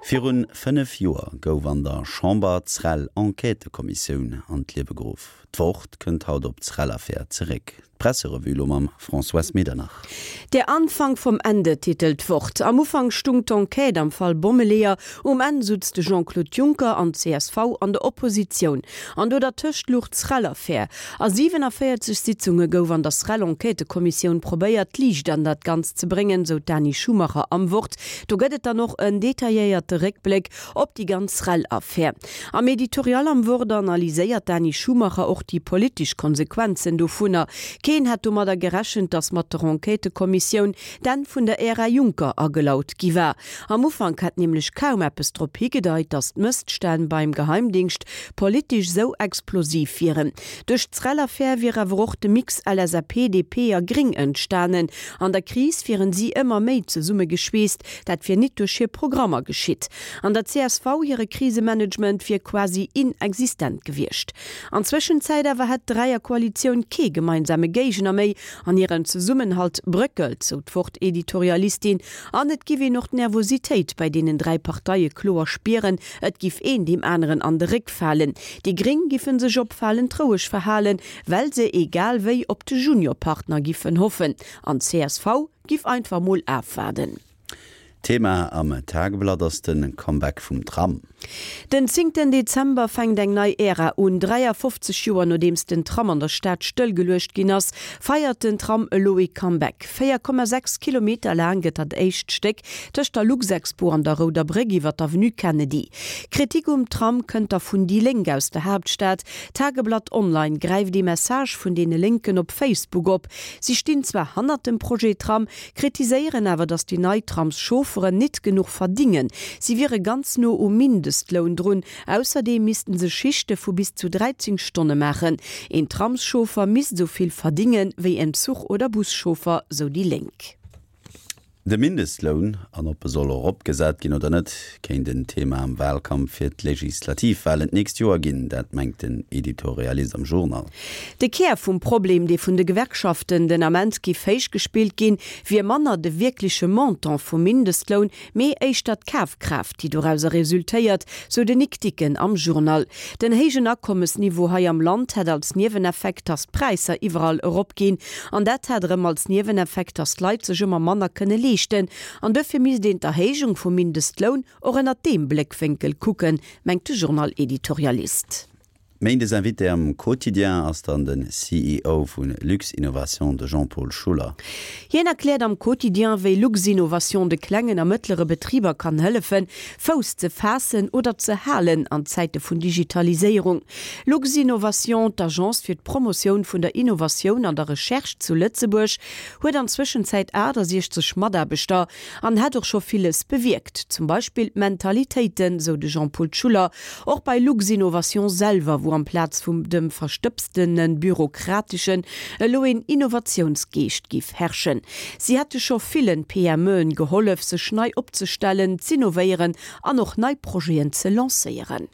Virun 5 Joer gouf an der Chamber d'SREL-Enquêtëkommissioun an d'Liewe geruff. D'Wort kënnt haut op d'SREL-Affär zeréck. D'Presserevue lo mam Françoise Medernach. Der Anfang vom Ende titelt d'Wort. Am Ufank stung d'Enquête am Fall Bommeleeër, um Enn sutz de Jean-Claude Juncker an d'CSV an der Oppositioun. An do dertëscht luch d'SREL-Affär. A 47 Sitzunge gouf an der SREL-Enquêtëkommissioun probéiert, Liicht an dat Ganzt ze bréngen, sou d'Dani Schumacher am Wort. Do gëtt et dann och en detailléierte Réckbléck op déi ganz SREL-Affär. Am Editorial am Wort analyséiert d'Dani Schumacher och déi politesch Konsequenzen dovunner. Keen hätt domadder gerechent, datt mat der Enquêtëkommissioun d'Enn vun der Ära Juncker agelaut gi war. Am Ufank hätt nämlech kaum eppes drop higedeit, datt d'Mësstänn beim Geheimdingscht politesch sou explosiv wieren. Duerch d'SREL-Affär wier awer och de Mix LSAP, DP a Gring entstanen. An der Kris wieren si ëmmer méi zesummegeschweesst. Dat wier nit duerch hir Programmer geschitt. An der csv hire Krisemanagement wier quasi inexistent gewiescht. An Zwëschenzäit awer hätt d'Dräierkoalitioun kee gemeinsame Géigner méi an hiren Zesummenhalt bröckelt, sou d'Wort-Editorialistin. An et giff een och d'Nervositéit bei deenen 3 Parteie kloer spieren, et giff een deem aneren an de Réck falen. Déi Gréng giffen sech opfalend roueg verhalen, well se egal wéi op de Juniorpartner giffen hoffen. An csv giff einfach mol afwaarden. Thema am Tageblatt ass de Comeback vum Tram. Den zéngten Dezember fänkt eng nei Ära un. 53 Joer nodeems den Tram an der Stad stëllgeluecht ginn ass, feiert den Tram elo ee Comeback. 4,6 Kilometer laang gëtt dat éischt Stéck tëscht der Luxexpo an der Rouder Bréck iwwer d'Avenue Kennedy. Kritik um Tram kënnt da vun déi Lénk aus der Haaptstad. Tageblatt Online gräift ee Message vun deene Lénken op Facebook op. Si stinn zwar hannert dem Projet Tram, kritiséieren awer, datt déi nei Tramschaufferen nit genuch verdingen. Si wiere ganz no um Mindestloun drun. Ausserdeem missten se Schichte vu bis zu 13 Stonne maachen. Een Tramschauffer misst esou vill verdinge wéi en Zuch oder Buschauffer, sou déi Lénk. De Mindestloun, an ob e soll eropgesat ginn oder net, kéint en Thema am Wahlkampf fir d'Legislativwahlen d'nächst Joer ginn. Dat mengt den Editorialist am Journal. De Kär vum Problem, dee vun de Gewerkschaften den Ament giff héich gespillt ginn, wier manner de wierkleche Montant vum Mindestloun, mee éischter d'Kafkraaft, déi dorauser resultéiert, sou de Nic Dicken am Journal. Den héijen Akommesniveau hei am Land hätt als Nieweneffekt, datt d'Präisser iwwerall eropginn. An dat hätt erëm als Nieweneffekt, datt d'Leit sech ëmmer manner kënne leeschten. An duerfir misst een d'Erhéijung vum Mindestloun och ënnert deem Bléckwénkel kucken, mengt de Journal-Editorialist. Méindes Invité am Quotidien ass dann de CEO vu Luxinnovation, de Jean-Paul Schuller. Hien erkläert am Quotidien, wéi Luxinnovation de klengen a mëttlere Betriber kann hëllefen, Fouss ze faassen oder ze halen an Zäite vun Digitaliséierung. Luxinnovation, d'Agence fir d'Promotioun vun der Innovatioun an der Recherche zu Lëtzebuerg, huet an Zwëschenzäit 68 Mataarbechter An hätt och scho villes bewierkt, zum Beispill d'Mentalitéiten, sou de Jean-Paul Schuller. Och bei Luxinnovation selwer, wou amplaz vum dem verstëbstene Bürokrateschen elo een Innovatiounsgeescht giff herrschen. Si hätte scho villen PMEen gehollef, sech nei opzestellen, z'innovéieren an och nei Projeten ze lancéieren.